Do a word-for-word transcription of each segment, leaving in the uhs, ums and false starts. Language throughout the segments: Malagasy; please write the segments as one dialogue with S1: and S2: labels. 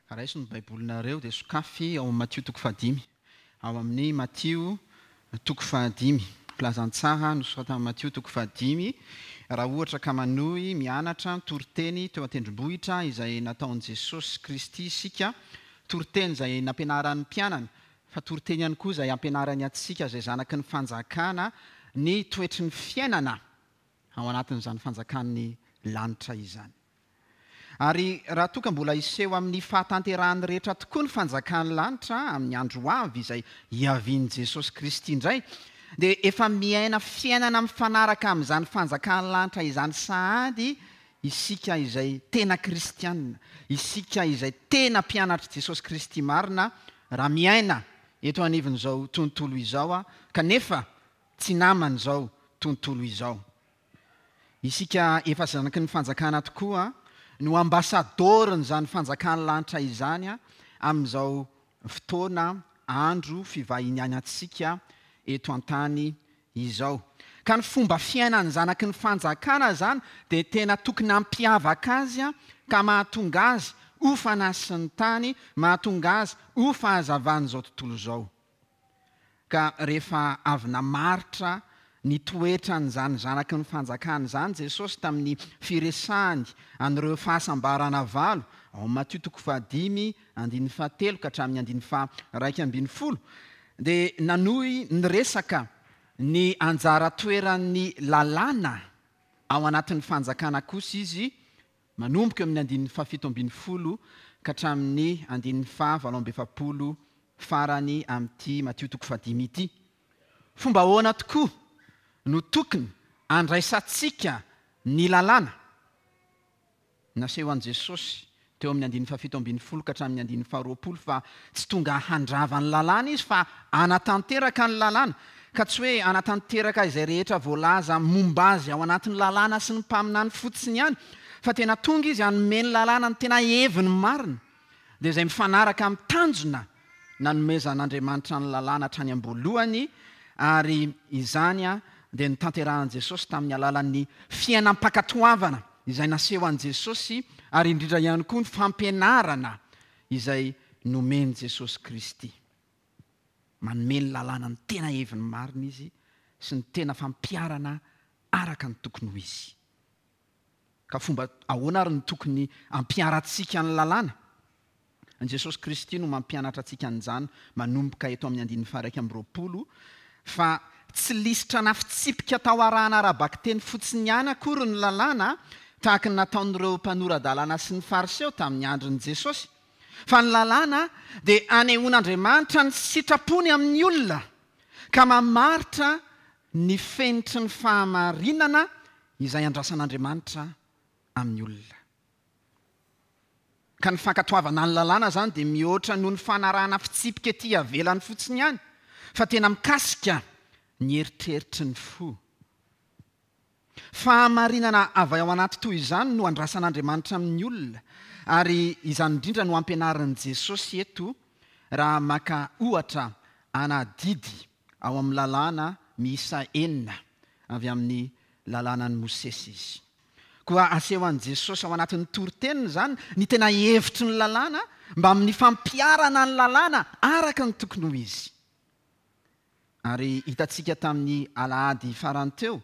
S1: Raiso ny Baibolinareo dia sokafy ao amin'ny Matio toko fahadimy. Ao amin'ny Matio toko fahadimy. Filazantsara nosoratan'i Matio toko fahadimy. Raha ohatra ka manohy mianatra toriteny teo an-tendrombohitra izay nataon'i Jesosy Kristy isika, toriteny izay nampianaran'ny mpianany, fa toriteny ihany koa izay ampianarany antsika izay zanaky ny fanjakana ny toetry ny fiainana ao anatin'izany fanjakan'ny lanitra izany. Ary raha toa ka mbola hiseho amin'ny fahatanterahany rehetra tokoa ny fanjakan'ny lanitra amin'ny andro ho avy izay hiavian'i Jesosy Kristy indray, dia efa miaina fiainana mifanaraka amin'izany fanjakan'ny lanitra izany sahady isika izay tena kristianina, isika izay tena mpianatr'i Jesosy Kristy marina raha miaina eto anivon'izao tontolo izao, kanefa tsy naman'izao tontolo izao. Isika efa zanaky ny fanjakana tokoa no ambasadorin'izany fanjakan'ny lanitra izany amin'izao fotoana andro fivahinianantsika eto an-tany izao. Ka ny fomba fiainan'ny zanaky ny fanjakana izany dia tena tokony hampiavaka azy ka mahatonga azy ho fanasin'ny tany, mahatonga azy ho fahazavan'izao tontolo izao. Ka rehefa avy namaritra ny toetran'izany zanaky ny fanjakana izany Jesosy tamin'ny firesahany an'ireo fahasambarana valo ao amin'ny Matio toko fahadimy andininy fahatelo ka hatramin'ny andininy faharaika ambin'ny folo, dia nanohy niresaka ny anjara toeran'ny lalàna ao anatin'ny fanjakana kosa izy, manomboka eo amin'ny andininy fahafito ambin'ny folo ka hatramin'ny andininy fahavalo amby efapolo farany amin'ity Matio toko fahadimy ity. Fomba ahoana tokoa no tokony andraisantsika ny lalàna? Naseho an'i Jesosy teo amin'ny andininy fahafito ambin'ny folo ka hatramin'ny andininy faharoapolo fa tsy tonga handrava ny lalàna izy fa hanatanteraka ny lalàna, ka tsy hoe hanatanteraka izay rehetra voalaza momba azy ao anatin'ny lalàna sy ny mpaminany fotsiny ihany, fa tena tonga izy hanome ny lalàna ny tena heviny marina, dia izay mifanaraka amin'ny tanjona nanomezan'Andriamanitra ny lalàna hatrany am-boalohany, ary izany dia notanterahan'i Jesosy tamin'ny alalan'ny fiainam-pankatoavana izay naseho an'i Jesosy, ary indrindra ihany koa ny fampianarana izay nomen'i Jesosy Kristy. Manome ny lalàna ny tena heviny marina izy sy ny tena fampiharana araka ny tokony ho izy. Ka fomba ahoana ary ny tokony ampiharantsika ny lalàna? An'i Jesosy Kristy no mampianatra antsika an'izany manomboka eto amin'ny andininy faha-iraika amby roapolo, fa tsy lisitra na fitsipika tao arahana ara-bakiteny fotsiny ihany akory ny lalàna, tahaka ny nataon'ireo mpanora-dalàna sy ny fariseo tamin'ny andron'i Jesosy. Fa ny lalàna dia anehoan'Andriamanitra ny sitrapony amin'ny olona, ka mamaritra ny fenitry ny fahamarinana izay andrasan'Andriamanitra amin'ny olona. Ka ny fankatoavana ny lalàna izany dia mihoatra noho ny fanarahana fitsipika ety ivelany fotsiny ihany, fa tena mikasika ny eritreritry ny fo. Fahamarinana avy ao anaty toy izany no andrasan'Andriamanitra amin'ny olona, ary izany indrindra no ampianarin'i Jesosy eto raha maka ohatra anadidy ao amin'ny lalàna miisa enina avy amin'ny lalànan'i Mosesy izy. Koa aseho an'i Jesosy ao anatin'ny toriteniny izany ny tena hevitry ny lalàna mba amin'ny fampiharana ny lalàna araka ny tokony ho izy. Ary hitantsika tamin'ny alahady farany teo,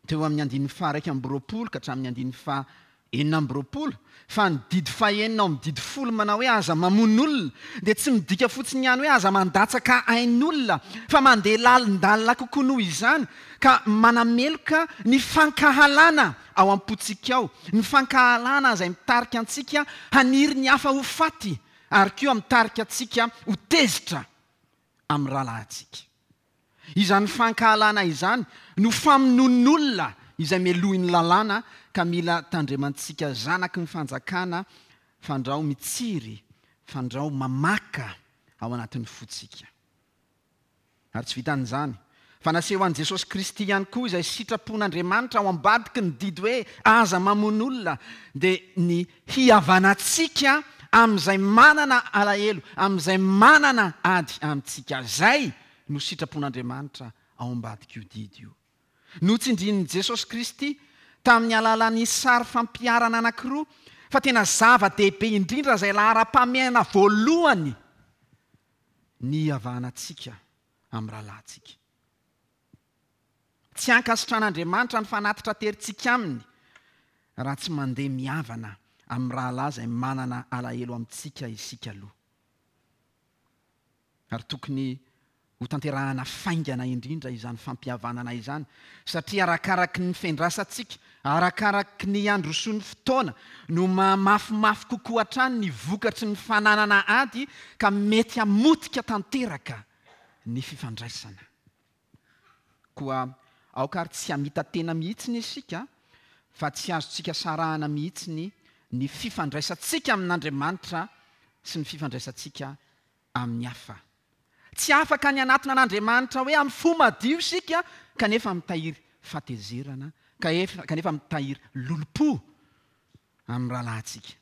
S1: teo amin'ny andininy faha-iraika amby roapolo ka hatramin'ny andininy faha-enina amby roapolo, fa ny didy fahenina ao amin'ny didy folo manao hoe aza mamono olona dia tsy midika fotsiny ihany hoe aza mandatsaka ain'olona, fa mandeha lalindalina kokoa noho izany, ka manameloka ny fankahalana ao am-pontsika ao, ny fankahalana izay mitarika antsika haniry ny hafa ho faty, ary koa mitarika antsika ho tezitra amin'ny rahalahintsika. Izany fankahalana izany no famonoan'olona izay melohin'ny lalàna, ka mila tandremantsika zanaky ny fanjakana fandrao mitsiry, fandrao mamaka ao anatin'ny fontsika. Ary tsy vitan'izany, fa naseho an'i Jesosy Kristy ihany koa izay sitrapon'Andriamanitra ao ambadiky ny didy hoe aza mamono olona, dia ny hihavanantsika amin'izay manana alahelo, amin'izay manana ady amintsika. Izay no sitrapon'Andriamanitra ao ambadik'io didy io. Notsindrin'i Jesosy Kristy tamin'ny alalan'ny sary fampiharana anankiroa Fa tena zava-dehibe indrindra izay laharam-pahamehana voalohany ny hihavanantsika amin'ny rahalahintsika. Tsy ankasitran'Andriamanitra ny fanatitra aterintsika aminy raha tsy mandeha mihavana amin'ny rahalahy izay manana alahelo amintsika isika aloha. Ary tokony ho tanterahana faingana indrindra izany fampihavanana izany, satria arakaraky ny fiandrasantsika, arakaraky ny androsoan'ny fotoana no mahamafimafy kokoa hatrany ny vokatry ny fananana ady ka mety hamotika tanteraka ny fifandraisana. Koa aoka ary tsy hamita-tena mihitsy isika, fa tsy azontsika sarahana mihitsy ny, ny fifandraisantsika amin'Andriamanitra sy ny fifandraisantsika amin'ny hafa. Tsy afaka ny hanatona an'Andriamanitra hoe amin'ny fo madio isika kanefa mitahiry fahatezerana, kanefa mitahiry lolompo amin'ny rahalahintsika.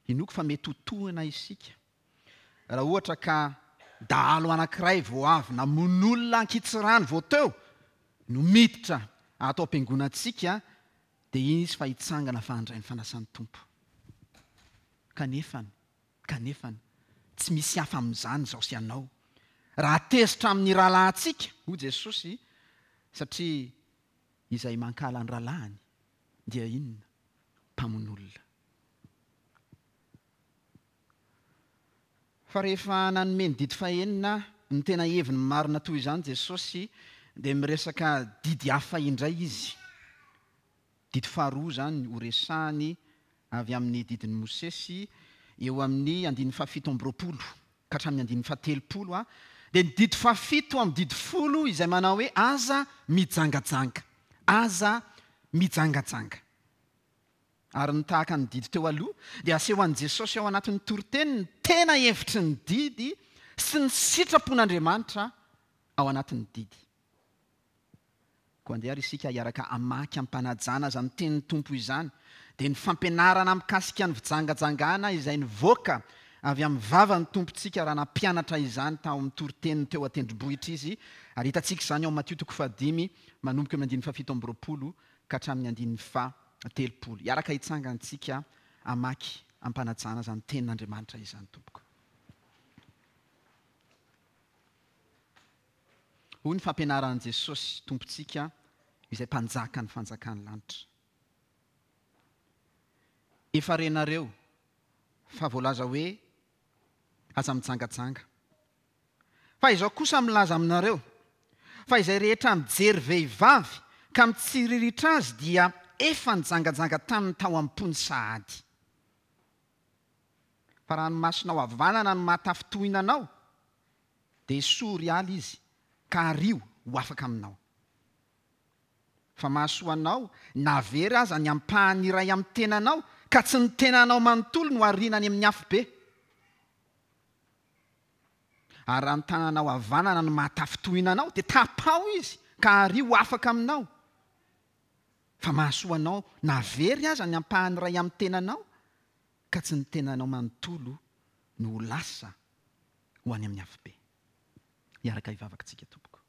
S1: Inoako fa mety ho tohina isika raha ohatra ka dahalo anankiray vao avy namono olona ankitsirano vao teo no miditra ato am-piangonantsika, dia iny izy fa hitsangana fa handray ny fanasan'ny Tompo. Kanefa, kanefa tsy misy hafa amin'izany izao sy ianao. Raha tezitra amin'ny rahalahintsika, hoy Jesosy, satria izay mankahala ny rahalahiny dia inona? Mpamono olona. Fa rehefa nanome ny didy fahenina ny tena heviny marina toy izany Jesosy, dia miresaka didy hafa indray izy. Didy faharoa izany ho resahany avy amin'ny didin'i Mosesy eo amin'ny andininy fahafito amby roapolo ka hatramin'ny andininy fahatelopolo, dia ny didy fahafito amin'ny didy folo izay manao hoe aza mijangajanga, aza mijangajanga. Ary ny tahaka ny didy teo aloha dia aseho an'i Jesosy ao anatin'ny toriteny ny tena hevitry ny didy sy ny sitrapon'Andriamanitra ao anatin'ny didy. Koa andeha ary isika hiaraka hamaky am-panajana izany tenin'ny Tompo izany, dia ny fampianarana mikasika ny fijangajangana izay nivoaka avy amin'ny vavan'ny Tompontsika raha nampianatra izany tao amin'ny toriteniny teo an-tendrombohitra izy, ary hitantsika izany ao Matio toko fahadimy manomboka amin'ny andininy fahafito amby roapolo ka hatramin'ny andininy fahatelopolo. Hiaraka hitsangantsika hamaky am-panajana izany tenin'Andriamanitra izany, tompoko. Hoy ny fampianaran'i Jesosy Tompontsika izay mpanjaka ny fanjakan'ny lanitra. Efa renareo fa voalaza hoe aza mijangajanga. Fa izao kosa milaza aminareo, fa izay rehetra mijery vehivavy ka mitsiriritra azy dia efa nijangajanga taminy tao am-pony sahady. Fa raha ny masonao havanana no mahatafintohina anao, dia esory ala izy ka ario ho afaka aminao. Fa mahasoa anao na very aza ny ampahany iray amin'ny tenanao, ka tsy ny tenanao manontolo no ariana any amin'ny afobe. Ary raha ny tananao havanana no mahatafintohina anao, dia tapaho izy ka ario ho afaka aminao. Fa mahasoa anao na very aza ny ampahany iray amin'ny tenanao, ka tsy ny tenanao manontolo no ho lasa ho any amin'ny afobe. Hiaraka hivavaka tsika, tompoko.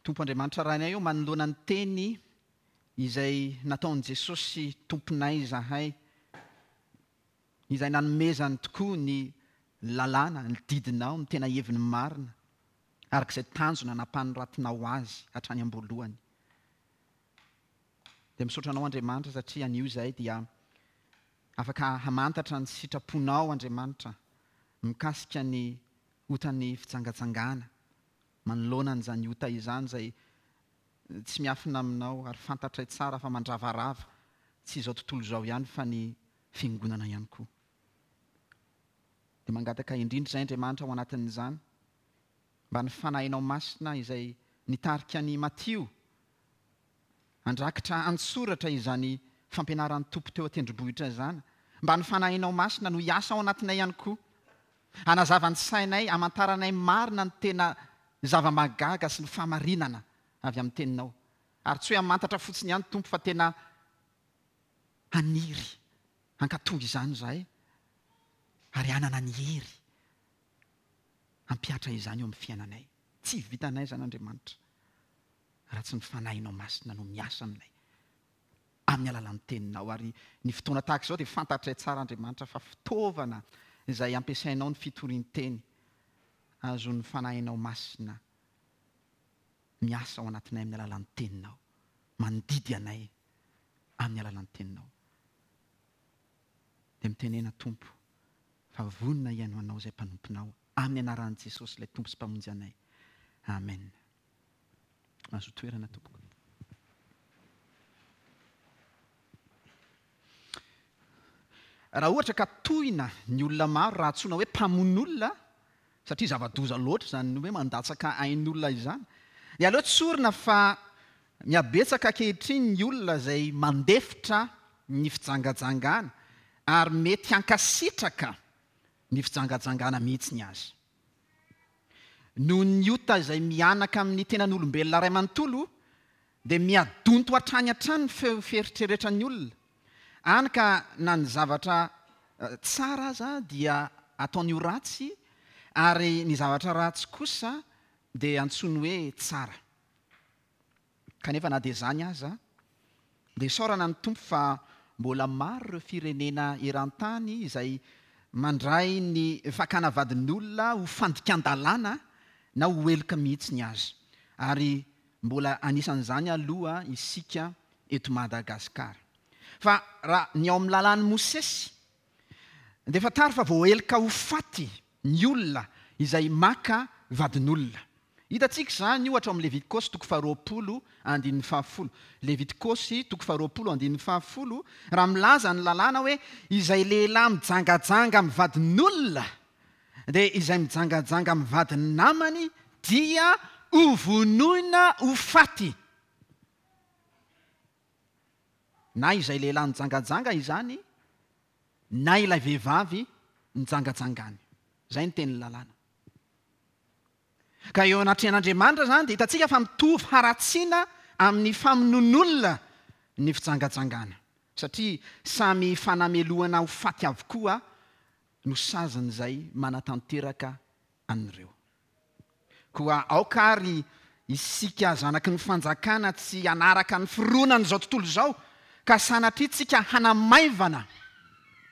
S1: Tompo Andriamanitra Rainay eo, manoloana ny teny izay nataon'i Jesosy Tomponay izahay, izay nanomezany tokoa ny lalàna, ny didinao, ny tena heviny marina, araka izay tanjona nampanoratinao azy hatrany am-boalohany. Dia misaotra anao Andriamanitra satria anio izay dia afaka hamantatra ny sitraponao Andriamanitra mikasika ny otan'ny fijangajangana, manoloana an'izany ota izany izay tsy miafina aminao ary fantatray tsara fa mandravarava tsy izao tontolo izao ihany fa ny fiangonana ihany koa. Dia mangataka indrindra izay Andriamanitra ao anatin'izany mba ny fanahinao masina izay nitarika ny Matio handrakitra an-tsoratra izany fampianaran'ny Tompo teo an-tendrombohitra izany, mba ny fanahinao masina no hiasa ao anatinay ihany koa, hanazava ny sainay, hamantaranay marina ny tena zava-mahagaga sy ny fahamarinana avy amin'ny teninao. Ary tsy hoe hamantatra fotsiny ihany Tompo fa tena haniry hankatò izany izahay ary hanana ny hery hampihatra izany eo amin'ny fiainanay. Tsy vitanay izany Andriamanitra. raha tsy ny Fanahinao Masina no miasa aminay amin'ny alalan'ny teninao. Ary ny fotoana tahaka izao dia fantatray tsara Andriamanitra fa fitaovana izay ampiasainao ny fitorian-teny azon'ny Fanahinao Masina miasa ao anatinay amin'ny alalan'ny teninao, mandidy anay amin'ny alalan'ny teninao. Dia mitenena Tompo fa vonona hihaino anao izay mpanomponao amin'ny anaran'i Jesosy ilay Tompo sy Mpamonjy anay. Amen. Mahazo toerana tompoko. Raha ohatra ka tohina ny olona maro raha antsoina hoe mpamono olona, satria zava-doza loatra izany hoe mandatsaka ain'olona izany, dia aleo tsorina fa mihabetsaka ankehitriny ny olona izay mandefitra ny fijangajangana ary mety hankasitraka ny fijangajangana mihitsy ny azy. Noho ny ota izay mianaka amin'ny tenan'olombelona iray manontolo, dia miadonto hatrany hatrany ny feo fieritreretran'ny olona. Any ka na ny zavatra tsara aza dia ataony ho ratsy, ary ny zavatra ratsy kosa dia antsoiny hoe tsara. Kanefa na dia izany aza, dia isaorana ny Tompo fa mbola maro ireo firenena eran-tany izay mandray ny fakana vadin'olona ho fandikan-dalàna na ho heloka mihitsy ny azy. Ary mbola anisan'izany aloha isika eto Madagasikara. Fa raha ny ao amin'ny lalàn'i Mosesy, dia fantaro fa voaheloka ho faty ny olona izay maka vadin'olona. Hitantsika izany ohatra ao amin'ny Levitikosy toko faharoapolo andininy fahafolo. Levitikosy toko faharoapolo andininy fahafolo, raha milaza ny lalàna hoe izay lehilahy mijangajanga amin'ny vadin'olona, dia izay mijangajanga amin'ny vadin'ny namany dia hovonoina ho faty. Na izay lehilahy nijangajanga izany, na ilay vehivavy nijangajangany. Izay ny tenin'ny lalàna. Ka eo anatrehan'Andriamanitra izany dia hitantsika fa mitovy haratsiana amin'ny famonoan'olona ny fijangajangana, satria samy fanamelohana ho faty avokoa no sazin'izay manatanteraka an'ireo. Koa aoka ary isika zanaky ny fanjakana tsy hanaraka ny fironan'izao tontolo izao, ka sanatria tsika hanamaivana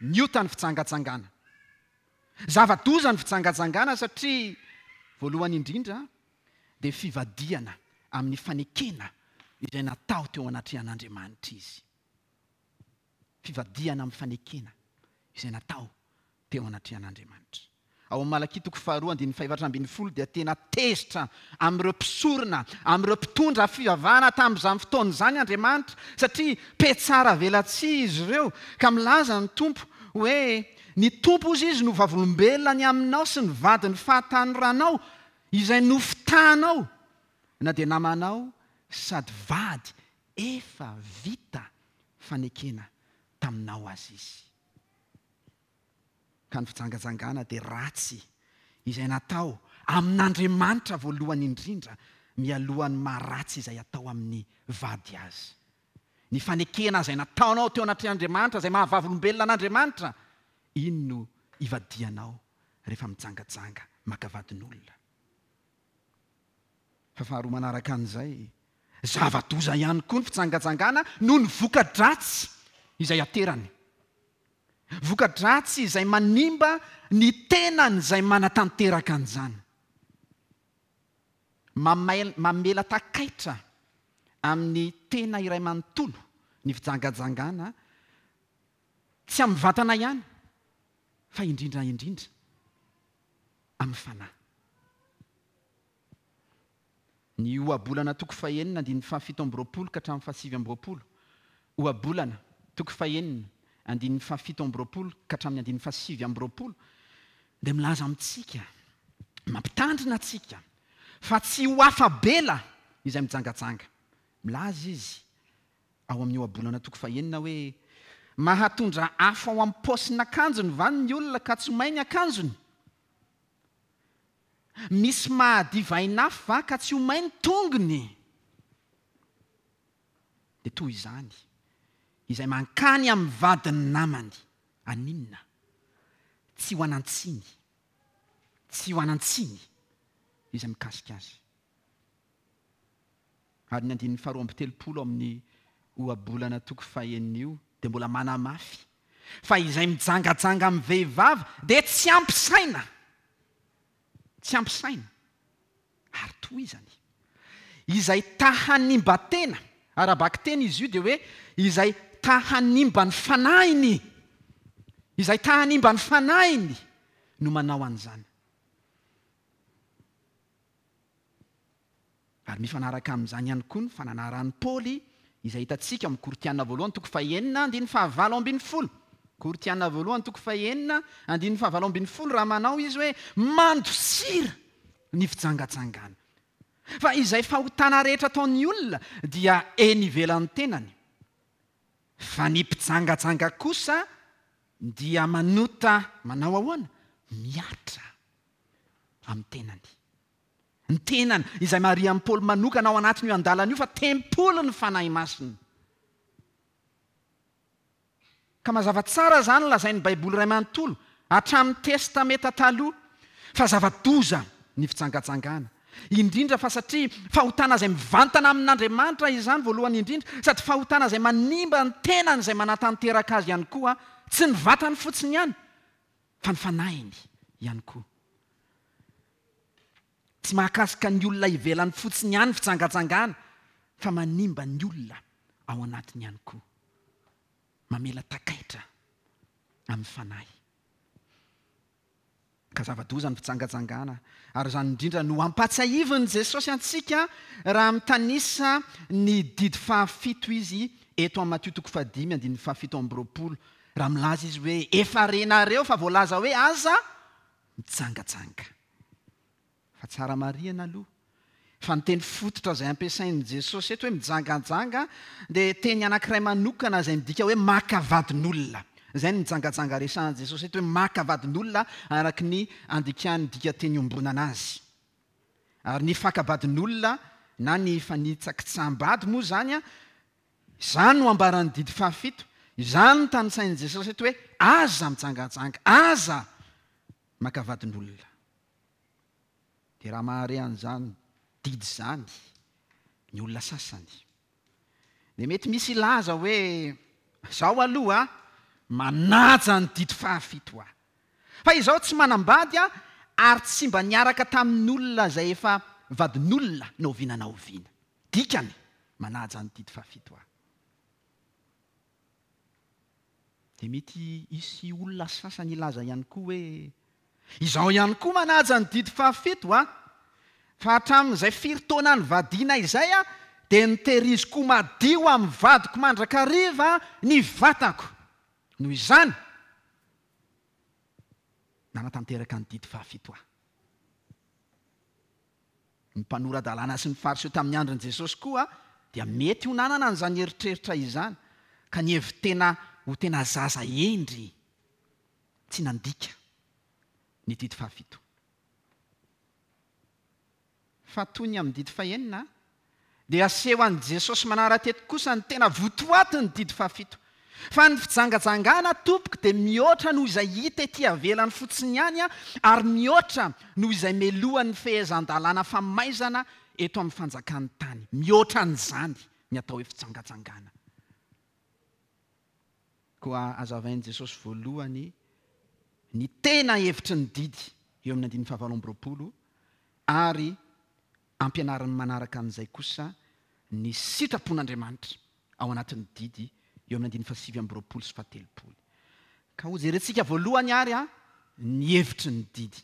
S1: ny ota ny fijangajangana. Zava-doza ny fijangajangana satria voalohany indrindra dia fivadihana amin'ny fanekena izay natao teo anatrehan'Andriamanitra izy. Fivadihana amin'ny fanekena izay natao teo anatrehan'Andriamanitra. Ao amin'ny Malakia toko faharoa andininy fahefatra ambin'ny folo dia tena tezitra amin'ireo mpisorona, amin'ireo mpitondra fivavahana tamin'izany fotoana izany Andriamanitra, satria mpetsara velatsihy izy ireo, ka milaza ny Tompo hoe ny Tompo ozy izy no vavolombelona ny aminao sy ny vadin'ny fahatanoranao izay nofitahanao na dia namanao sady vady efa vita fanekena taminao azy izy. Ka ny fijangajangana dia ratsy izay natao amin'Andriamanitra voalohany indrindra mialohan'ny maharatsy izay atao amin'ny vady azy. Ny fanekena izay nataonao teo anatrehan'Andriamanitra, izay mahavavolombelona an'Andriamanitra, iny no ivadianao rehefa mijangajanga maka vadin'olona. Fa faharoa manaraka an'izay, zava-doza ihany koa ny fijangajangana noho ny voka-dratsy izay aterany. Voka-dratsy izay manimba ny tenany izay manatanteraka an'izany. Mamel-, mamela takaitra amin'ny tena iray manontolo ny fijangajangana, tsy amin'ny vatana ihany, fa indrindra indrindra amin'ny fanahy. Ny ohabolana toko fahenina andininy fahafito amby roapolo ka hatramin'ny fahasivy amby roapolo. Ohabolana toko fahenina andininy fahafito amby roapolo ka hatramin'ny andininy fahasivy amby roapolo dia milaza amintsika, mampitandrina antsika fa tsy ho afa-bela izay mijangajanga. Milaza izy ao amin'ny ohabolana toko fahenina hoe mahatondra afo ao amin'ny paosin'akanjony va ny olona ka tsy may ny akanjony? Misy mahadivain'afo va ka tsy ho may ny tongony? Dia toy izany izay mankany amin'ny vadin'ny namany, aninona? Tsy ho anan-tsiny, tsy ho anan-tsiny izay mikasika azy. Ary ny andininy faharoa amby telopolo amin'ny ohabolana toko fahenina io dia mbola manamafy fa izay mijangajanga amin'ny vehivavy dia tsy ampy saina. Tsy ampy saina. Ary tohizany. Izay ta hanimba tena, ara-bakiteny izy io dia hoe izay ta hanimba ny fanahiny. Izay ta hanimba ny fanahiny no manao an'izany. Ary mifanaraka amin'izany ihany koa ny fananaran'i Paoly izay hitantsika amin'ny Korintiana voalohany toko fahenina andininy fahavalo ambin'ny folo. Korintiana voalohany toko fahenina andininy fahavalo ambin'ny folo raha manao izy hoe mandosira ny fijangajangana. Fa izay fahotana rehetra ataon'ny olona dia eny ivelan'ny tenany. Fa ny mpijangajanga kosa dia manota manao ahoana? Mihatra amin'ny tenany. Ny tenany izay marian'i Paoly manokana ao anatin'io andalana io fa tempoly ny Fanahy Masina. Ka mazava tsara izany lazain'ny Baiboly iray manontolo hatramin'ny Testamenta taloha fa zava-doza ny fijangajangana. Indrindra fa satria fahotana izay mivantana amin'Andriamanitra izany voalohany indrindra, sady fahotana izay manimba ny tenany izay manatanteraka azy ihany koa, tsy ny vatany fotsiny ihany fa ny fanahiny ihany koa. Tsy mahakasika ny olona ivelany fotsiny ihany fijangajangana fa manimba ny olona ao anatiny ihany koa. Mamela takaitra amin'ny fanahy. Ka zava-doza ny fijangajangana, ary izany indrindra no ampatsiahivin'i Jesosy antsika raha mitanisa ny didy fahafito izy eto amin'ny Matio toko fahadimy andininy fahafito amby roapolo, raha milaza izy hoe efa renareo fa voalaza hoe aza mijangajanga. Fa tsara marihana aloha fa ny teny fototra izay ampiasain'i Jesosy eto hoe mijangajanga dia teny anankiray manokana izay midika hoe maka vadin'olona. Izay ny mijangajanga resahan'i Jesosy eto hoe maka vadin'olona araka ny andikan'ny dikateny iombonana azy. Ary ny fakabadin'olona na ny fanitsakitsaham-bady moa izany, izany no ambaran'ny didy fahafito. Izany no tanisain'i Jesosy eto hoe aza mijangajanga, aza maka vadin'olona. Dia raha mahare an'izany didy izany ny olona sasany, dia mety misy hilaza hoe zaho aloha manaja ny didy fahafito aho. Fa izaho tsy manambady aho ary tsy mba niaraka tamin'olona izay efa vadin'olona na oviana na oviana. Dikany, manaja ny didy fahafito aho. Dia mety hisy olona sasany hilaza ihany koa hoe izaho ihany koa manaja ny didy fahafito aho. Fa hatramin'izay firy taona nivadiana izay aho dia nitehiriziko madio amin'ny vadiko mandrakariva ny vatako. Noho izany, nanatanteraka ny didy fahafito aho. Ny mpanora-dalàna sy ny Fariseo tamin'ny andron'i Jesosy koa dia mety ho nanana an'izany eritreritra izany, ka nihevi-tena ho tena zaza hendry tsy nandika ny didy fahafito. Fa toy ny amin'ny didy fahenina dia aseho an'i Jesosy manara-teto kosa ny tena votoatin'ny didy fahafito. Fa ny fijangajangana tompoko dia mihoatra noho izay hita ety ivelany fotsiny ihany, ary mihoatra noho izay melohan'ny fehezan-dalàna famaizana eto amin'ny fanjakan'ny tany. Mihoatra an'izany ny atao hoe fijangajangana. Koa azavain'i Jesosy voalohany ny tena hevitry ny didy eo amin'ny andininy fahavalo amby roapolo, ary ampianariny manaraka an'izay kosa ny sitrapon'Andriamanitra ao anatin'ny didy eo amin'ny andininy fahasivy amby roapolo sy fahatelopolo. Ka hojerentsika voalohany ary a ny hevitry ny didy.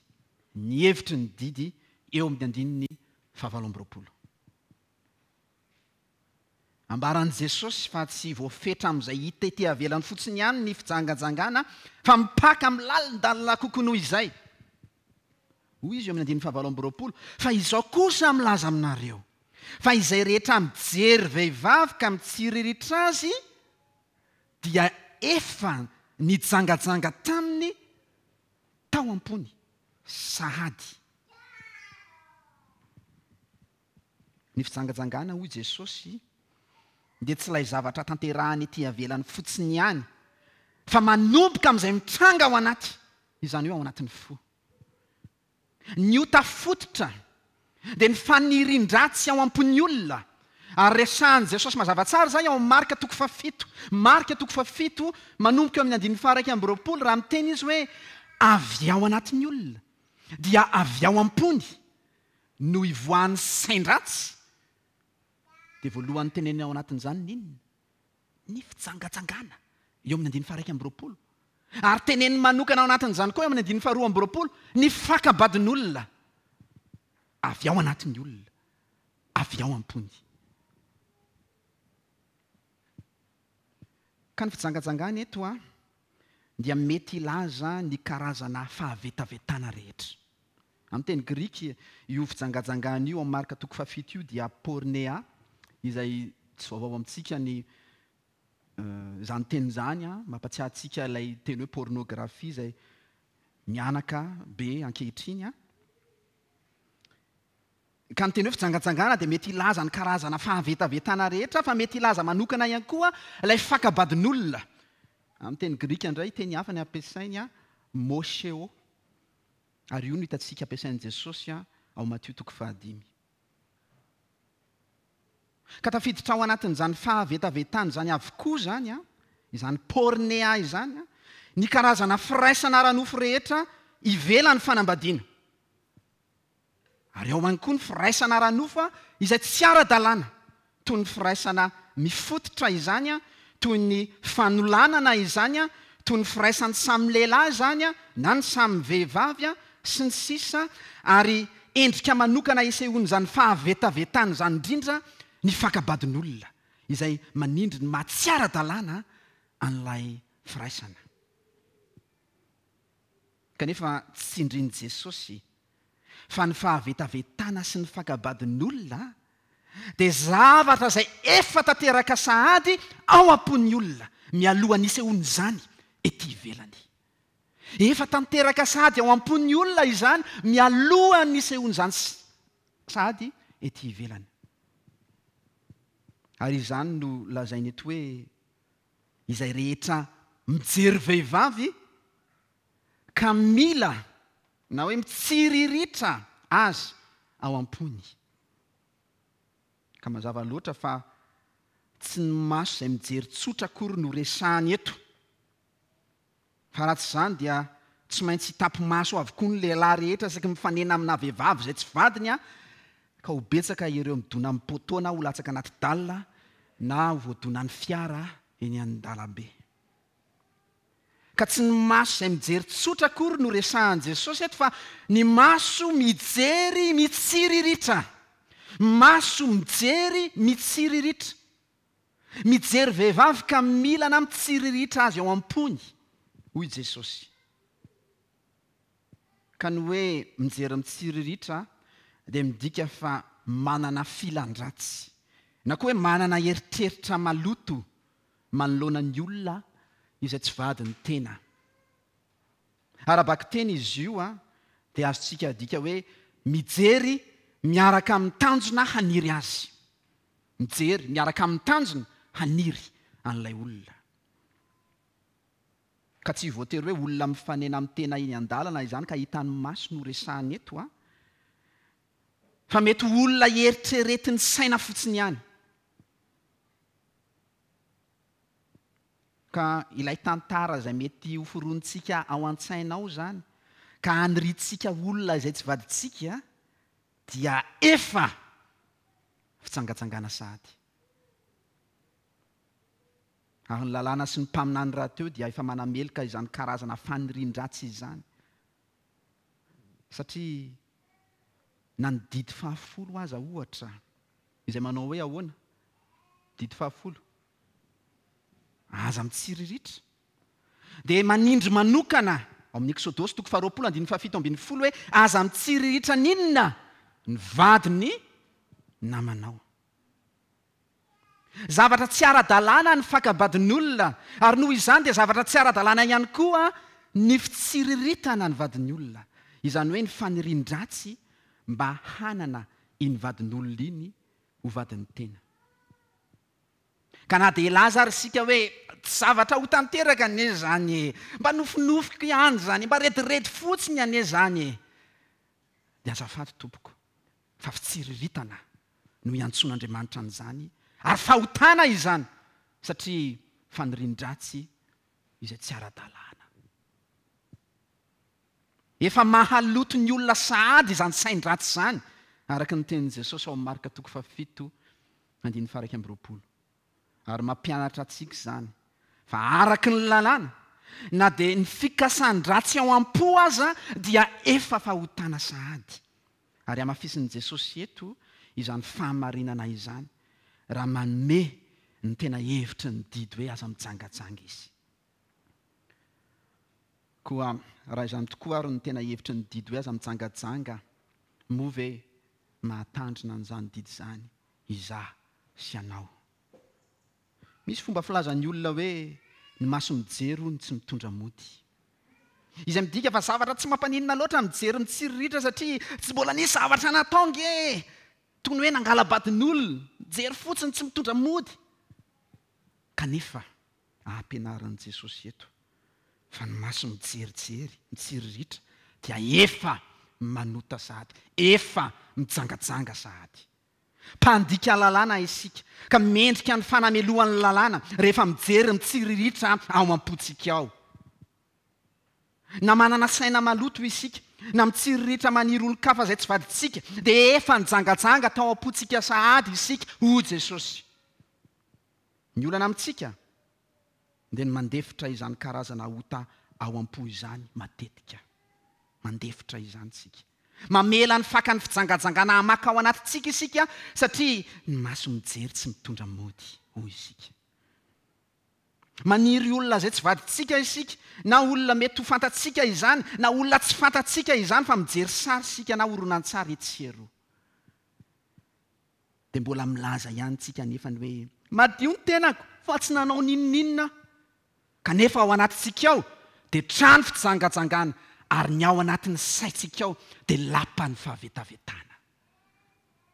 S1: Ny hevitry ny didy eo amin'ny andininy fahavalo amby roapolo. Ambaran'i Jesosy fa tsy voafetra amin'izay hita ety ivelany fotsiny ihany ny fijangajangana, fa mipaka amin'ny lalindalina kokoa noho izay. Hoy izy eo amin'ny andininy fahavalo amby roapolo, fa izao kosa milaza aminareo, fa izay rehetra mijery vehivavy ka mitsiriritra azy dia efa nijangajanga taminy tao am-pony sahady. Ny fijangajangana, hoy Jesosy, dia tsy ilay zavatra tanterahany ety ivelany fotsiny ihany, fa manomboka amin'izay mitranga ao anaty, izany hoe ao anatin'ny fo. Ny ota fototra dia ny fanirian-dratsy ao am-pon'ny olona, Ary resahan'i Jesosy mazava tsara izany ao amin'ny Marka toko fahafito. Marka toko fahafito manomboka eo amin'ny andininy faha-iraika amby roapolo raha miteny izy hoe avy ao anatin'ny olona dia avy ao am-pony no ivoahan'ny sain-dratsy. Dia voalohany teneniny ao anatin'izany ny inona? Ny fijangajangana eo amin'ny andininy faha-iraika amby roapolo. Ary teneniny manokana ao anatin'izany koa eo amin'ny andininy faharoa amby roapolo ny fakabadin'olona avy ao anatin'ny olona, avy ao am-pony. Ka ny fijangajangana eto a dia mety hilaza ny karazana fahavetavetana rehetra. Amin'ny teny grika io fijangajangana io amin'ny Marka toko fahafito io dia pornea, izay tsy vaovao amintsika ny izany teny izany, mampatsiahy antsika ilay teny hoe pornographie izay mianaka be ankehitriny. Ka ny teny hoe fijangajangana dia mety hilaza ny karazana fahavetavetana rehetra, fa mety hilaza manokana ihany koa ilay fakabadin'olona. Amin'ny teny grika indray, teny hafa ny ampiasainy, mosheo. Ary io no hitantsika ampiasain'i Jesosy ao Matio toko fahadimy. Ka tafiditra ao anatin'izany fahavetavetana izany avokoa izany, izany pornea izany, ny karazana firaisana ara-nofo rehetra ivelan'ny fanambadiana. Ary ao ihany koa ny firaisana ara-nofo izay tsy ara-dalàna, toy ny firaisana mifototra izany, toy ny fanolanana izany, toy ny firaisan'ny samy lehilahy izany, na ny samy vehivavy, sy ny sisa. Ary endrika manokana isehoan'izany fahavetavetana izany indrindra ny fakabadin'olona, izay manindry ny maha tsy ara-dalàna an'ilay firaisana. Kanefa tsy tsindrin'i Jesosy fa ny fahavetavetana sy ny fakabadin'olona dia zavatra izay efa tanteraka sahady ao am-pon'ny olona mialohan'ny isehoan'izany ety ivelany. Efa tanteraka sahady ao am-pon'ny olona izany mialohan'ny isehoan'izany sahady ety ivelany. Ary izany no lazainy eto hoe izay rehetra mijery vehivavy ka mila na hoe mitsiriritra azy ao am-pony. Ka mazava loatra fa tsy ny maso izay mijery tsotra akory no resahany eto. Fa raha tsy izany dia tsy maintsy hitapy-maso avokoa ny lehilahy rehetra isaky mifanena amina vehivavy izay tsy vadiny, ka ho betsaka ireo midona amin'ny poteau na ho latsaka anaty dalina na ho voadonan'ny fiara eny an-dalambe. Ka tsy ny maso izay mijery tsotra akory no resahan'i Jesosy eto, fa ny maso mijery mitsiriritra. Maso mijery mitsiriritra. Mijery vehivavy ka mila na mitsiriritra azy ao am-pony, hoy Jesosy. Ka ny hoe mijery mitsiriritra dia midika fa manana filan-dratsy, na koa hoe manana eritreritra maloto manoloana ny olona izay tsy vadin'ny tena. Ara-bakiteny izy io a dia azontsika adika hoe mijery miaraka amin'ny tanjona haniry azy. Mijery miaraka amin'ny tanjona haniry an'ilay olona. Ka tsy voatery hoe olona mifanena amin'ny tena eny an-dalana izany ka hitan'ny maso no resahany eto a. Fa mety ho olona eritreretin'ny saina fotsiny ihany. Ka ilay tantara izay mety ho foronontsika ao an-tsaina ao izany, ka haniriantsika olona izay tsy vadintsika, dia efa fitsangatsangana sahady. Ary ny lalàna sy ny mpaminany rahateo dia efa manameloka izany karazana fanirian-dratsy izany. Satria na ny didy fahafolo aza ohatra, izay manao hoe ahoana? Didy fahafolo. Aza mitsiriritra. Dia manindry manokana ao amin'ny Eksodosy toko faharoapolo andininy fahafito ambin'ny folo hoe aza mitsiriritra n'inona ny vadiny namanao. Zavatra tsy ara-dalàna ny fakabadin'olona, ary noho izany dia zavatra tsy ara-dalàna ihany koa ny fitsiriritana ny vadin'ny olona. Izany hoe ny fanirian-dratsy mba hanana iny vadin'olona iny ho vadin'ny tena. Ka na dia hilaza ary isika hoe tsy zavatra ho tanteraka anie izany e, mba nofinofiko ihany izany, mba rediredy fotsiny anie izany e, dia azafady tompoko fa fitsiriritana no iantsoan'Andriamanitra an'izany, ary fahotana izany satria fanirian-dratsy izay tsy ara-dalàna. Efa mahaloto ny olona sahady izany sain-dratsy izany, araka ny tenin'i Jesosy ao amin'ny Marka toko fahafito andininy faha-iraika amby roapolo. Ary mampianatra antsika izany fa araka ny lalàna, na dia ny fikasan-dratsy ao am-po aza dia efa fahotana sahady. Ary hamafisin'i Jesosy eto izany fahamarinana izany raha manome ny tena hevitry ny didy hoe aza mijangajanga izy. Koa raha izany tokoa ary ny tena hevitry ny didy hoe aza mijangajanga, moa ve mahatandrina an'izany didy izany izaho sy ianao? Misy fomba filazan'ny olona hoe ny maso mijery hono tsy mitondra mody. Izay midika fa zavatra tsy mampaninona loatra mijery mitsiriritra satria tsy mbola nisy zavatra natao nge. Toy ny hoe nangala-badin'olona, mijery fotsiny tsy mitondra mody. Kanefa ampianarin'i Jesosy eto fa ny maso mijerijery, mitsiriritra dia efa manota sahady, efa mijangajanga sahady. Mpandika lalàna isika ka mendrika ny fanamelohan'ny lalàna rehefa mijery mitsiriritra ao am-pontsika ao. Na manana saina maloto isika, na mitsiriritra maniry olon-kafa izay tsy vadintsika, dia efa nijangajanga tao am-pontsika sahady isika, hoy Jesosy. Ny olana amintsika dia ny mandefitra izany karazana ota ao am-po izany matetika. Mandefitra izany isika. Mamela ny fakan'ny fijangajangana hamaka ao anatintsika isika satria ny maso mijery tsy mitondra mody, hoy isika. Maniry olona izay tsy vadintsika isika, na olona mety ho fantatsika izany, na olona tsy fantatsika izany, fa mijery sary isika na horonantsary etsy sy eroa. Dia mbola milaza ihany tsika nefa ny hoe madio ny tenako fa tsy nanao n'inon'inona. Kanefa ao anatintsika ao dia trano fijangajangana, ary ny ao anatin'ny saintsika ao dia lapan'ny fahavetavetana.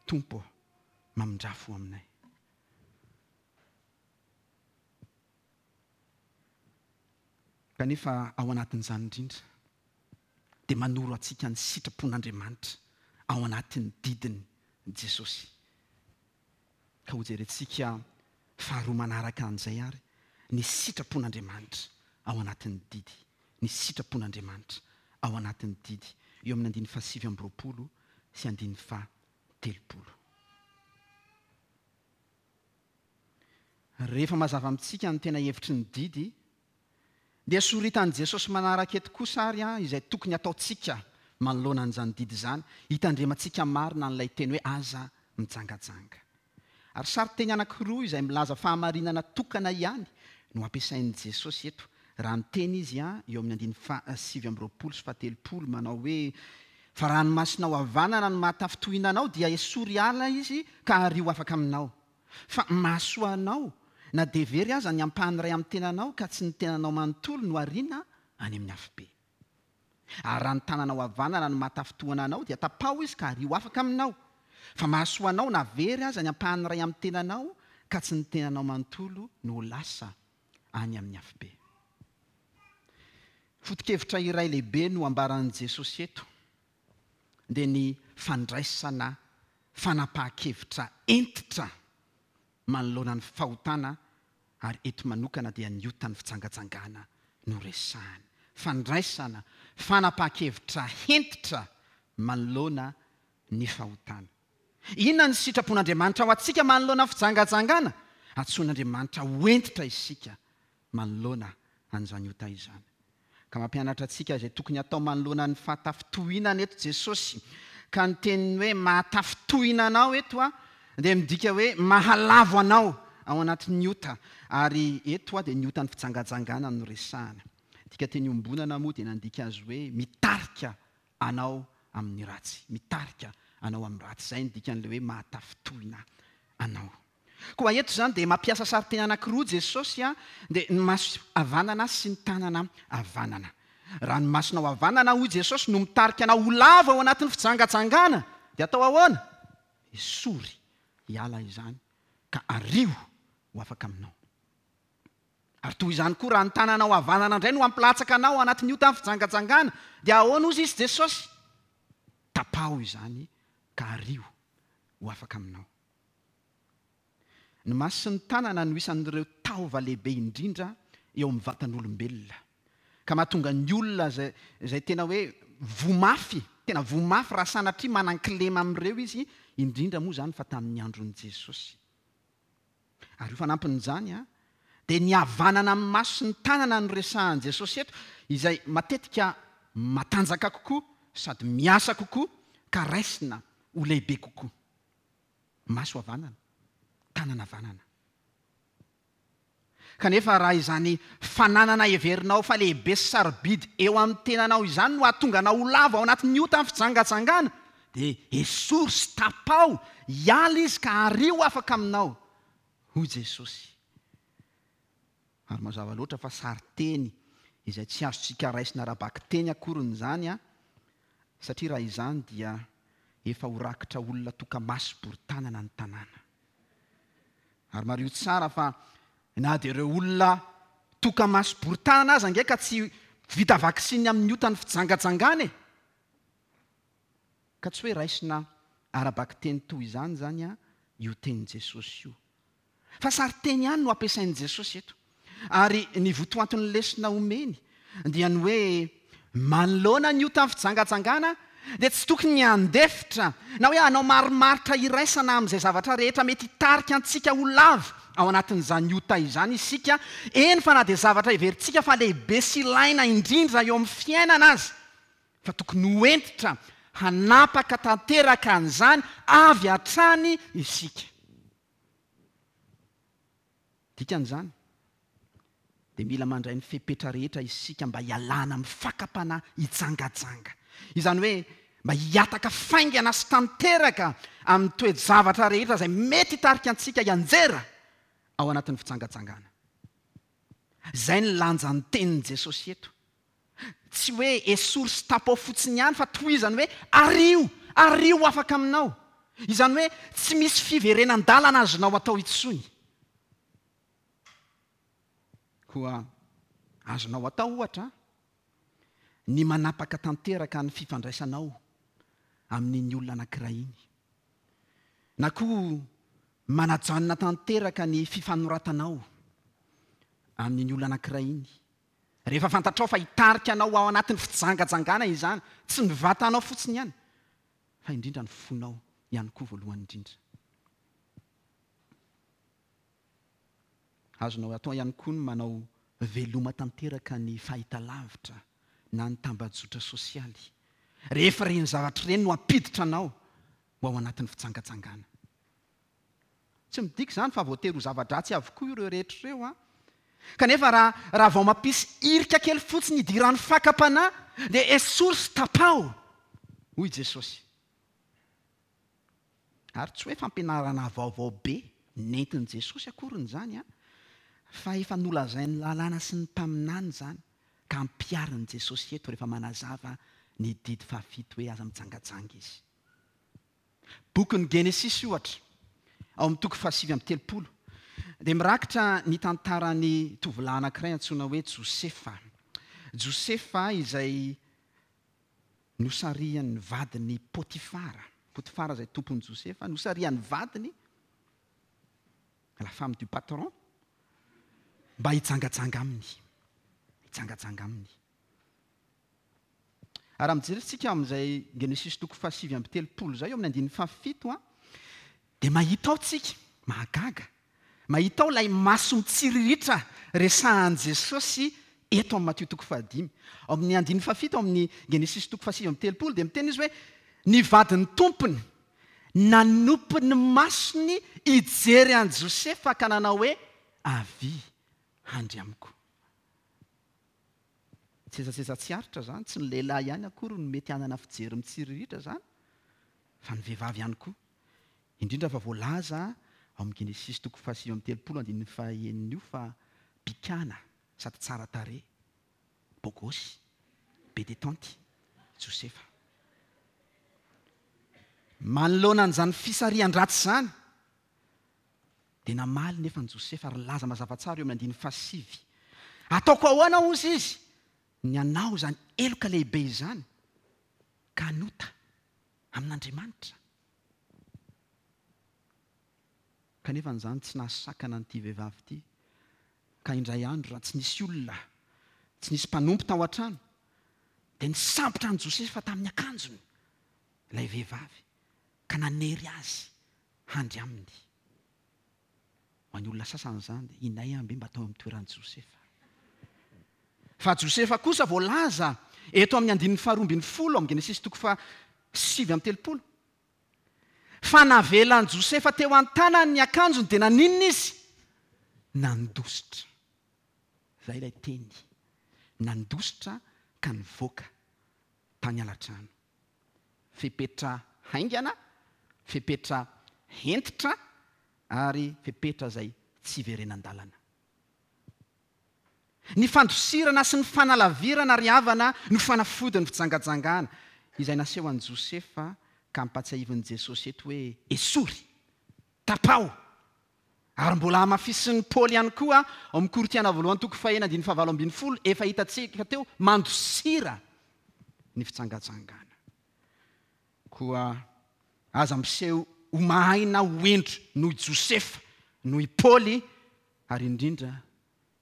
S1: Tompo, mamindrafo aminay. Kanefa ao anatin'izany indrindra dia manoro antsika ny sitrapon'Andriamanitra ao anatin'ny didiny Jesosy. Ka hojerentsika faharoa manaraka an'izay ary ny sitrapon'Andriamanitra ao anatin'ny didy. Ny sitrapon'Andriamanitra ao anatin'ny didy eo amin'ny andininy fahasivy amby roapolo sy andininy fahatelopolo. Rehefa mazava amintsika ny tena hevitry ny didy, dia soritan'i Jesosy manaraka eto kosa ary izay tokony ataontsika manoloana an'izany didy izany, hitandremantsika marina an'ilay teny hoe aza mijangajanga. Ary sarin-teny anankiroa izay milaza fahamarinana tokana ihany no ampiasain'i Jesosy eto. Raha miteny izy eo amin'ny andininy fahasivy amby roapolo sy fahatelopolo manao hoe fa raha ny masonao havanana no mahatafintohina anao dia esory ala izy ka ario afaka aminao. Fa mahasoa anao na dia very aza ny ampahany iray amin'ny tenanao ka tsy ny tenanao manontolo no ariana any amin'ny afobe. Ary raha ny tananao havanana no mahatafintohina anao dia tapaho izy ka ario afaka aminao. Fa mahasoa anao na very aza ny ampahany iray amin'ny tenanao ka tsy ny tenanao manontolo no lasa any amin'ny afobe. Foto-kevitra iray lehibe no ambaran'i Jesosy eto dia ny fandraisana fanapahan-kevitra hentitra manoloana ny fahotana, ary eto manokana dia ny otan'ny fijangajangana no resahany. Fandraisana fanapahan-kevitra hentitra manoloana ny fahotana. Inona ny sitrapon'Andriamanitra ho antsika manoloana ny fijangajangana? Antsoin'Andriamanitra ho hentitra isika manoloana an'izany ota izany. Ka mampianatra antsika izay tokony atao manoloana ny fahatafitohinana eto Jesosy. Ka ny teniny hoe mahatafitohina anao eto a dia midika hoe mahalavo anao ao anatin'ny ota, ary eto a dia ny otan'ny fijangajangana no resahana. Dika teny iombonana moa dia nandika azy hoe mitarika anao amin'ny ratsy, mitarika anao amin'ny ratsy. Izay ny dikan'ilay hoe mahatafitohina anao. Koa eto izany dia mampiasa sarin-teny anankiroa Jesosy a, dia ny maso havanana sy ny tanana havanana. Raha ny masonao havanana, hoy Jesosy, no mitarika anao ho lavo ao anatin'ny fijangajangana, dia atao ahoana? Esory hiala izany ka ario ho afaka aminao. Ary toy izany koa raha ny tananao havanana indray no hampilatsaka anao ao anatin'ny otan'ny fijangajangana, dia ahoana hozy izy Jesosy? Tapaho izany ka ario ho afaka aminao. Ny maso sy ny tanana no isan'ireo taova lehibe indrindra eo amin'ny vatan'olombelona. Ka mahatonga ny olona izay, izay tena hoe voa mafy, tena voa mafy raha sanatria manan-kilema amin'ireo izy, indrindra moa izany fa tamin'ny andron'i Jesosy. Ary ho fanampin'izany, dia ny havanana amin'ny maso sy ny tanana no resahan'i Jesosy eto, izay matetika matanjaka kokoa sady miasa kokoa ka raisina ho lehibe kokoa. Maso havanana, tanana havanana. Kanefa raha izany fananana heverinao fa lehibe sy sarobidy eo amin'ny tenanao izany no hahatonga anao ho lavo ao anatin'ny ota amin'ny fijangajangana, dia esory sy tapaho, hiala izy ka ario afaka aminao, hoy Jesosy. Ary mazava loatra fa sarin-teny izay tsy azontsika raisina ara-bakiteny akoriny izany, a, satria raha izany dia efa ho rakitra olona toka-maso bory-tanana ny tanàna. Ary mariho tsara fa na dia ireo olona toka-maso bory-tanana aza ange ka tsy vita vaksiny amin'ny otan'ny fijangajangana e. Ka tsy hoe raisina ara-bakiteny toy izany zany a io tenin'i Jesosy io. Fa sarin-teny ihany no ampiasain'i Jesosy eto. Ary ny votoanton'ny lesona omeny dia ny hoe manoloana ny otan'ny fijangajangana dia tsy tokony handefitra na hoe hanao marimaritra iraisana amin'izay zavatra rehetra mety hitarika antsika ho lavo ao anatin'izany ota izany isika, eny fa na dia zavatra heverintsika fa lehibe sy ilaina indrindra eo amin'ny fiainana aza, fa tokony ho hentitra hanapaka tanteraka an'izany avy hatrany isika. Dikan'izany dia mila mandray ny fepetra rehetra isika mba hialana amin'ny fakam-panahy hijangajanga. Izany hoe mba hiataka faingana sy tanteraka amin'ny toe-javatra rehetra izay mety hitarika antsika hianjera ao anatin'ny fijangajangana. Izay ny lanjan'ny tenin'i Jesosy eto. Tsy hoe esory sy tapaho fotsiny ihany fa tohizany hoe ario, ario afaka aminao. Izany hoe tsy misy fiverenan-dalana azonao atao intsony. Koa azonao atao ohatra ny manapaka tanteraka ny fifandraisanao amin'iny olona anankiray iny. Na koa manajanona tanteraka ny fifanoratanao amin'iny olona anankiray iny. Rehefa fantatrao fa hitarika anao ao anatin'ny fijangajangana izany, tsy ny vatanao fotsiny ihany, fa indrindra ny fonao ihany koa voalohany indrindra. Azonao atao ihany koa ny manao veloma tanteraka ny fahitalavitra na ny tambajotra sosialy. Rehefa ireny zavatra ireny no hampiditra anao ho ao anatin'ny fijangajangana. Tsy midika izany fa voatery ho zava-dratsy avokoa ireo rehetra ireo, a. Kanefa raha, raha vao mampisy hirika kely fotsiny hidiran'ny fakam-panahy dia esory sy tapaho, hoy Jesosy. Ary tsy hoe fampianarana vaovao be nentin'i Jesosy akoriny izany, a, fa efa nolazain'ny lalàna sy ny mpaminany izany ka ampiharin'i Jesosy eto rehefa manazava ny didy fahafito hoe aza mijangajanga izy. Bokin'ny Genesisy ohatra, ao amin'ny toko fahasivy amby telopolo, dia mirakitra ny tantaran'ny tovolahy anankiray antsoina hoe Josefa. Josefa izay nosarihan'ny vadiny Potifara. Potifara izay tompon'i Josefa, nosarihan'ny vadiny, la femme du patron, mba hijangajanga aminy. Hijangajanga aminy. Ary raha mijery isika amin'izay Genesisy toko fahasivy amby telopolo izay, eo amin'ny andininy fahafito, a, dia mahita ao tsika, mahagaga, mahita ao ilay maso mitsiriritra resahan'i Jesosy eto amin'ny Matio toko fahadimy. Ao amin'ny andininy fahafito, ao amin'ny Genesisy toko fahasivy amby telopolo, dia miteny izy hoe ny vadin'ny tompony nanopy ny masony hijery an'i Josefa ka nanao hoe avia handry amiko. Tsetsatsetsa tsy aritra izany, tsy ny lehilahy ihany akory no mety hanana fijery mitsiriritra izany, fa ny vehivavy ihany koa. Indrindra fa voalaza ao amin'ny Genesisy toko fahasivy amby telopolo andininy fahenina io fa bikana sady tsara tarehy, bogosy, be détente, Josefa. Manoloana an'izany fisarihan-dratsy izany, dia namaly nefa ny Josefa ary nilaza mazava tsara eo amin'ny andininy fahasivy. Ataoko ahoana hozy izy? Ny hanao izany heloka lehibe izany ka hanota amin'Andriamanitra. Kanefa izany tsy nahasakana an'ity vehivavy ity. Ka indray andro raha tsy nisy olona, tsy nisy mpanompo tao an-trano, dia nisambotra an'i Josefa tamin'ny akanjony ilay vehivavy ka nanery azy handry aminy. Ho an'ny olona sasany izany dia inay amby mba tao amin'ny toeran'i Josefa. Fa Josefa kosa voalaza eto amin'ny andininy faharoa ambin'ny folo amin'ny Genesisy toko faha sivy amby telopolo. Fa navelan'i Josefa teo an-tanany ny akanjony dia naninona izy? Nandositra. Izay ilay teny. Nandositra ka nivoaka tany alatrano. Fepetra haingana, fepetra hentitra ary fepetra izay tsy iverenan-dalana. Ny fandosirana sy ny fanalavirana ry havana no fanafodin'ny fijangajangana izay naseho an'i Josefa ka ampatsiahivin'i Jesosy eto hoe esory, tapaho. Ary mbola hamafisin'i Paoly ihany koa ao amin'ny Korintiana voalohany toko fahenina andininy fahavalo ambin'ny folo efa hitantsika teo, mandosira ny fijangajangana. Koa aza miseho ho mahay na ho hendry noho i Josefa, noho i Paoly ary indrindra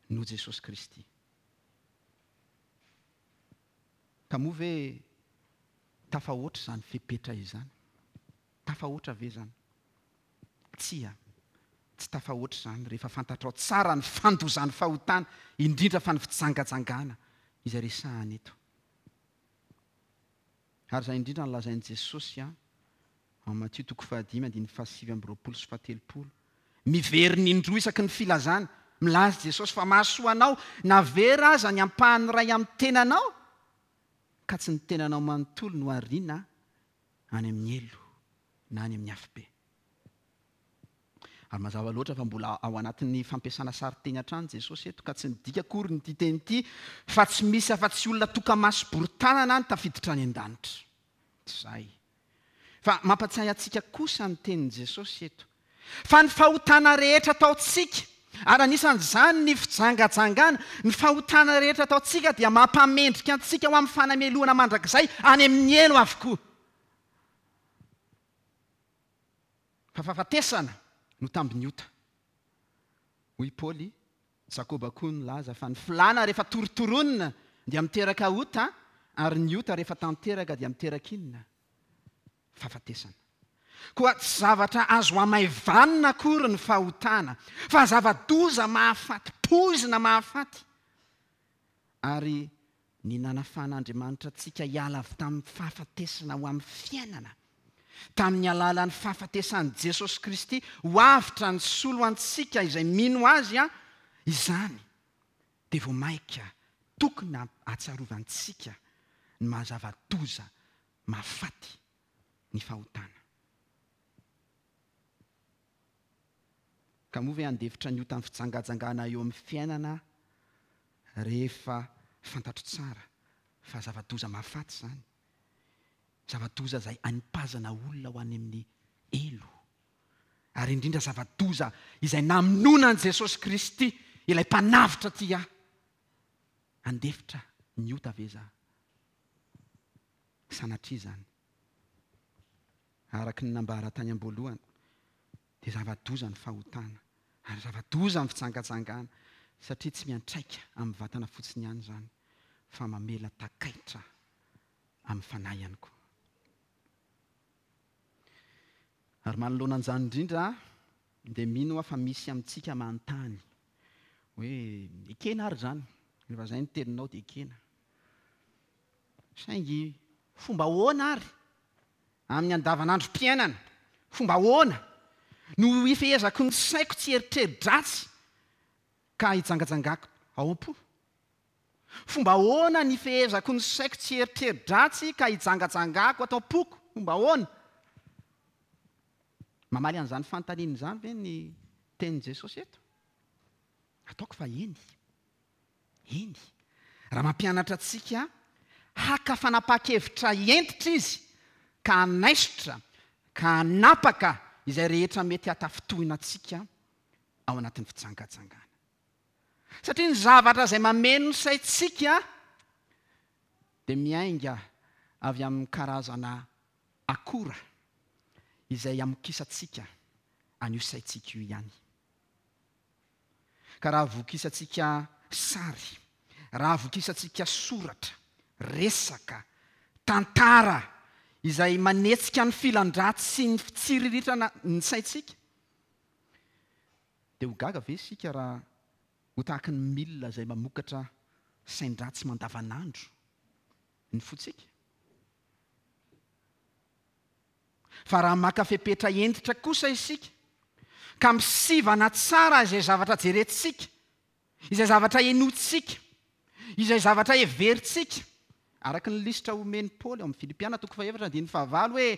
S1: noho Jesosy Kristy. Ka moa ve tafahoatra izany fepetra izany? Tafahoatra ve izany? Tsia, tsy tafahoatra izany rehefa fantatrao tsara ny fandozan'ny fahotana, indrindra fa ny fijangajangana izay resahana eto. Ary izay indrindra no lazain'i Jesosy ao Matio toko fahadimy andininy fahasivy amby roapolo sy fahatelopolo. Miverina indroa isaky ny filazana, milaza Jesosy fa mahasoa anao na vera aza ny ampahany iray amin'ny tenanao, ka tsy ny tenanao manontolo no ariana any amin'ny helo na any amin'ny afobe. Ary mazava loatra fa mbola ao anatin'ny fampiasana sarinteny hatrany Jesosy eto, ka tsy midika akory ny teny ity fa tsy misy afa-tsy olona tokamaso bory tanana ny tafiditra any an-danitra. Tsy izay. Fa mampatsiahy antsika kosa ny tenin'i Jesosy eto. Fa ny fahotana rehetra ataontsika, ary anisan'izany ny fijangajangana, ny fahotana rehetra ataontsika dia mampamendrika antsika ho amin'ny fanamelohana mandrakizay any amin'ny helo avokoa. Fa fahafatesana no tambin'ny ota. Hoy Paoly, Jakoba koa nilaza fa ny filàna rehefa torotoronina dia miteraka ota, ary ny ota rehefa tanteraka dia miteraka inona? Fahafatesana. Koa tsy zavatra azo hamaivanina akory ny fahotana, fa zava-doza mahafaty, poizina mahafaty. Ary ny nanafahan'Andriamanitra antsika hiala avy tamin'ny fahafatesana ho amin'ny fiainana, tamin'ny alalan'ny fahafatesan'i Jesosy Kristy ho avotra ny solo antsika izay mino azy, izany dia vao mainka tokony hahatsiarovantsika ny maha-zava-doza mahafaty ny fahotana. Ka moa ve handefitra ny otan'ny fijangajangana eo amin'ny fiainana rehefa fantatro tsara fa zava-doza mahafaty izany? Zava-doza izay anipazana olona ho any amin'ny helo. Ary indrindra zava-doza izay namonoana an'i Jesosy Kristy, ilay mpanavotra tia ahy. Handefitra ny ota ve za? Sanatria izany. Araka ny nambara tany am-boalohany, dia zava-doza ny fahotana, ary zava-doza ny fijangajangana, satria tsy miantraika amin'ny vatana fotsiny ihany izany, fa mamela takaitra amin'ny fanahy ihany koa. Ary manoloana an'izany indrindra, dia mino aho fa misy amintsika manontany hoe ekena ary izany, rehefa izay ny teninao dia ekena. Saingy fomba ahoana ary amin'ny andavanandrom-piainana, fomba ahoana no ifehezako ny saiko tsy eritreri-dratsy ka hijangajangako ao am-po? Fomba ahoana ny ifehezako ny saiko tsy eritreri-dratsy ka hijangajangako ato am-poko? Fomba ahoana? Mamaly an'izany fanontaniana izany ve ny tenin'i Jesosy eto? Ataoko fa eny. Eny. Raha mampianatra antsika haka fanapahan-kevitra hentitra izy ka hanaisotra, ka hanapaka izay rehetra mety hatafintohina antsika ao anatin'ny fijangajangana. Satria ny zavatra izay mameno ny saintsika dia miainga avy amin'ny karazana akora izay amokisantsika an'io saintsika io ihany. Ka raha vokisantsika sary, raha vokisantsika soratra, resaka, tantara izay manetsika ny filan-dratsy sy ny fitsiriritana ny saintsika, dia ho gaga ve isika raha ho tahaky ny milina izay mamokatra sain-dratsy mandavanandro ny fontsika? Fa raha maka fepetra hentitra kosa isika ka misivana tsara izay zavatra jerentsika, izay zavatra henointsika, izay zavatra heverintsika, araka ny lisitra omen'i Paoly ao amin'ny Filipiana toko fahefatra andininy fahavalo hoe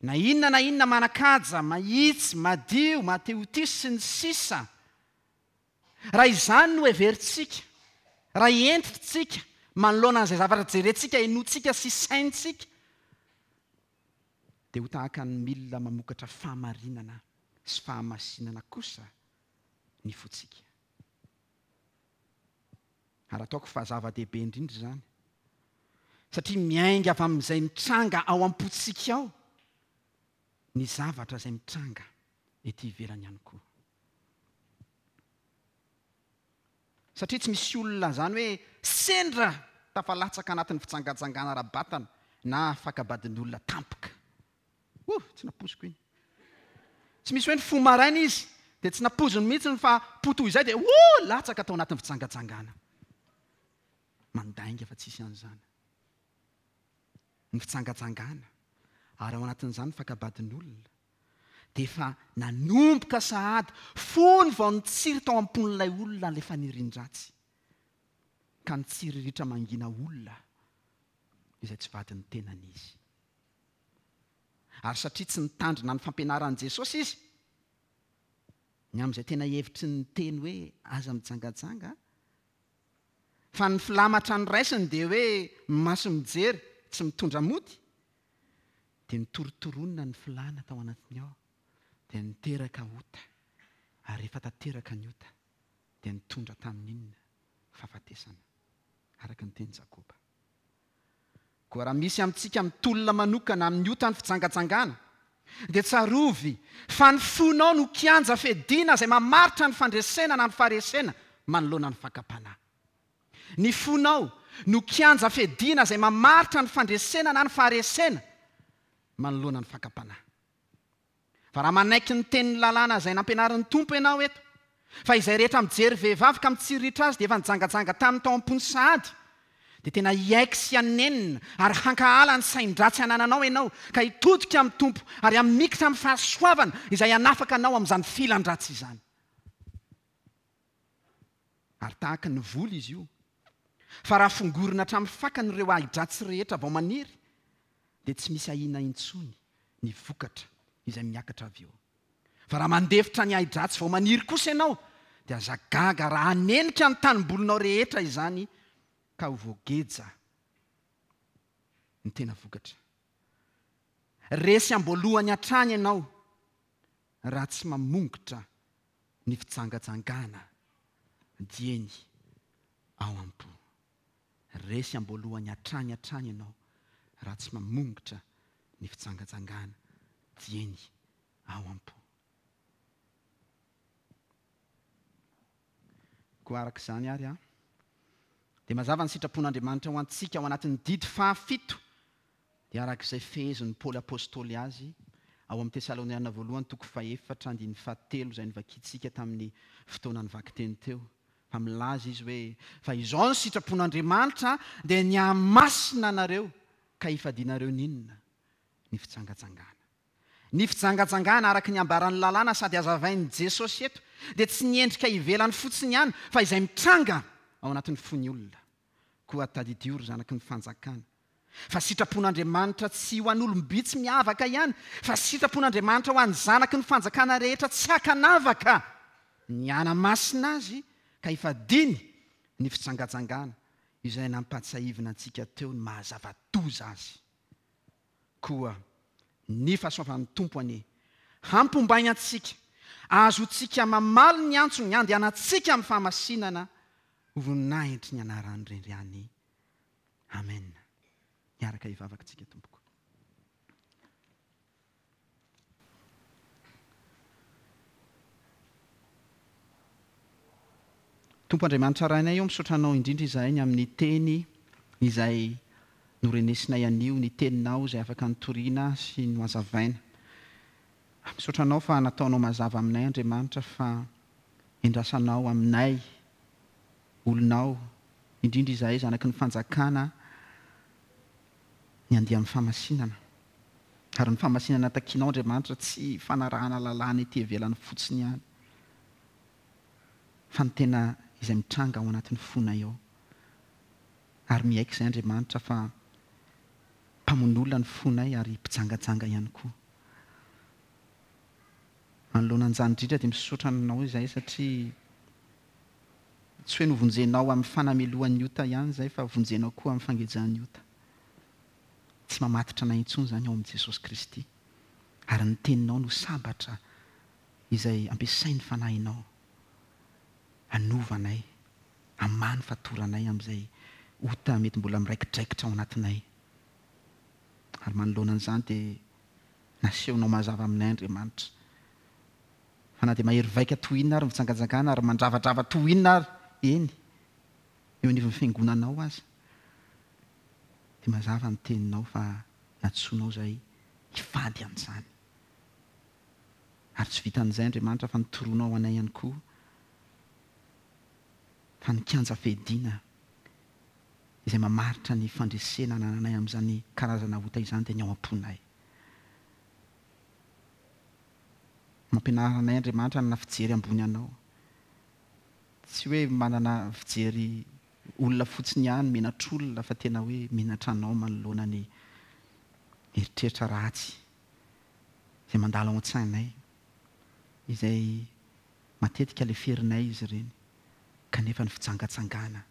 S1: na inona na inona manan-kaja, mahitsy, madio, mahatehotia sy ny sisa. Raha izany no heverintsika, raha hentitsika manoloana an'izay zavatra jerentsika, henointsika sy saintsika, dia ho tahaka ny milina mamokatra fahamarinana sy fahamasinana kosa ny fontsika. Ary ataoko fa zava-dehibe indrindra izany, satria miainga avy amin'izay mitranga ao am-pontsika ao ny zavatra izay mitranga ety ivelany ihany koa. Satria tsy misy olona izany hoe sendra tafalatsaka anatin'ny fijangajangana ara-batana na fakabadin'olona tampoka. Oh, tsy nampoziko iny. Tsy misy hoe ny fo maraina izy dia tsy nampoziny mihitsy fa po toy izay dia oh, latsaka tao anatin'ny fijangajangana. Mandainga fa tsisy an'izany. Ny fijangajangana ary ao anatin'izany fakabadin'olona dia efa nanomboka sahady fony vao nitsiry tao am-pon'ilay olona ilay fanirian-dratsy, ka nitsiriritra mangina olona izay tsy vadin'ny tenany izy. Ary satria tsy nitandrina ny fampianaran'i Jesosy izy ny amin'izay tena hevitry ny teny hoe aza mijangajanga, fa ny filamatra ny raisiny dia hoe maso mijery tsy mitondra mody, dia nitorotoronina ny filana tao anatiny ao, dia niteraka ota, ary rehefa tanteraka ny ota dia nitondra tamin'inona? Fahafatesana, araka ny teny Jakoba. Koa raha misy amintsika mitolona manokana amin'ny ota ny fijangajangana, dia tsarovy fa ny fonao no kianja fiadiana izay mamaritra ny fandresena na ny faharesena manoloana ny fakam-panahy. Ny fonao no kianja fiadiana izay mamaritra ny fandresena na ny faharesena manoloana ny fakam-panahy. Fa raha manaiky ny tenin'ny lalàna izay nampianarin'ny Tompo ianao eto, fa izay rehetra mijery vehivavy ka mitsiriritra azy dia efa nijangajanga taminy tao am-pony sahady, dia tena hiaiky sy hanenina ary hankahala ny sain-dratsy anananao ianao, ka hitodika amin'ny Tompo ary hamikitra amin'ny fahasoavana izay hanafaka anao amin'izany filan-dratsy izany. Ary tahaka ny voly izy io, fa raha fongorina hatramin'ny fakany ireo ahi-dratsy rehetra vao maniry, dia tsy misy ahiana intsony ny vokatra izay miakatra avy eo. Fa raha mandefitra ny ahi-dratsy vao maniry kosa ianao, dia aza gaga raha hanenika ny tanimbolinao rehetra izany, ka ho voageja ny tena vokatra. Resy am-boalohany hatrany ianao raha tsy mamongotra ny fijangajangana dieny ao am-po. Resy am-boalohany hatrany hatrany ianao raha tsy mamongotra ny fijangajangana dieny ao am-po. Koa araka izany ary a, dia mazava ny sitrapon'Andriamanitra ho antsika ao anatin'ny didy fahafito, dia araka izay fehezin'ny Paoly Apôstôly azy ao amin'ny Tesaloniana voalohany toko fahefatra andininy fahatelo izay novakintsika tamin'ny fotoana nivakiteny teo, fa milaza izy hoe fa izao ny sitrapon'Andriamanitra dia ny hahamasina anareo ka hifadianareo n'inona? Ny fijangajangana. Ny fijangajangana araka ny ambaran'ny lalàna sady hazavain'i Jesosy eto dia tsy ny endrika ivelany fotsiny ihany fa izay mitranga ao anatin'ny fon'ny olona. Koa tadidio ry zanaky ny fanjakana fa sitrapon'Andriamanitra tsy ho an'olom-bitsy miavaka ihany, fa sitrapon'Andriamanitra ho an'ny zanaky ny fanjakana rehetra tsy hakanavaka ny hanamasina azy ka hifadiany ny fijangajangana izay nampahatsiahivina antsika teo ny mahazava-doza azy. Koa ny fahasoavan'ny Tompo anie hampombainy antsika, ahazoantsika mamaly ny antsony handehanantsika amin'ny fahamasinana ho voninahitry ny anarany irery ihany. Amen. Miaraka hivavaka tsika tompoko. Tompo Andriamanitra Rainay eo, misaotra Anao indrindra izahay ny amin'ny teny izay norenesinay anio, ny teninao izay afaka nitoriana sy nohazavaina. Misaotra Anao fa nataonao mazava aminay Andriamanitra fa endrasanao aminay olonao, indrindra izahay zanaky ny fanjakana, ny andeha amin'ny fahamasinana. Ary ny fahamasinana takianao Andriamanitra tsy fanarahana lalàna ety ivelany fotsiny ihany, fa ny tena izay mitranga ao anatin'ny fonay ao. Ary miaiky izay Andriamanitra fa mpamono olona ny fonay ary mpijangajanga ihany koa. Manoloana an'izany indrindra dia misaotra Anao izahay satria tsy hoe novonjenao amin'ny fanamelohan'ny ota ihany izay fa vonjenao koa amin'ny fangejan'ny ota. Tsy mamatotra anay intsony izany ao amin'i Jesosy Kristy. Ary ny teninao no sabatra izay ampiasain'ny fanahinao hanova anay, hamaha ny fatoranay amin'izay ota mety mbola miraikidraikitra ao anatinay. Ary manoloana an'izany dia nasehonao mazava aminay Andriamanitra. Fa na dia mahery vaika toy inona ary mijangajangana ary mandravadrava toy inona ary eny eo anivon'ny fiangonanao aza, dia mazava ny teninao fa nantsoinao izahay hifady an'izany. Ary tsy vitan'izay Andriamanitra fa nitoronao anay ihany koa fa ny kianja fiadiana izay mamaritra ny fandresena anananay amin'izany karazana ota izany dia ny ao am-ponay. Mampianara anay Andriamanitra hanana fijery ambony anao. Tsy hoe manana fijery olona fotsiny ihany, menatr'olona, fa tena hoe menatra anao manoloana ny eritreritra ratsy izay mandalo ao an-tsainay, izay matetika leferinay izy ireny, kanefa ny fijangajangana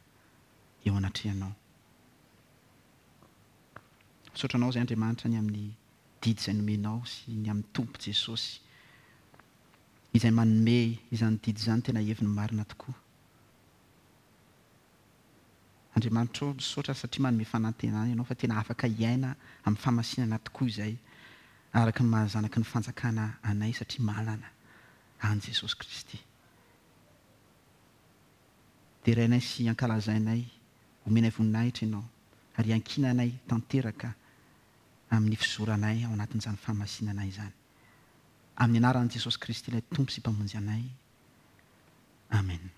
S1: eo anatrehanao. Misaotra anao izay Andriamanitra ny amin'ny didy izay nomenao sy ny amin'ny Tompo Jesosy izay manome izany didy izany tena heviny marina tokoa. Andriamanitra ô, misaotra satria manome fanantenana ianao fa tena afaka hiaina amin'ny fahamasinana tokoa izay araka ny maha zanaky ny fanjakana anay satria manana an'i Jesosy Kristy. Derainay sy ankalazainay, omenay voninahitra ianao ary iankinanay tanteraka amin'ny fizoranay ao anatin'izany fahamasinana izany. Amin'ny anaran'i Jesosy Kristy ilay Tompo sy Mpamonjy anay. Amen.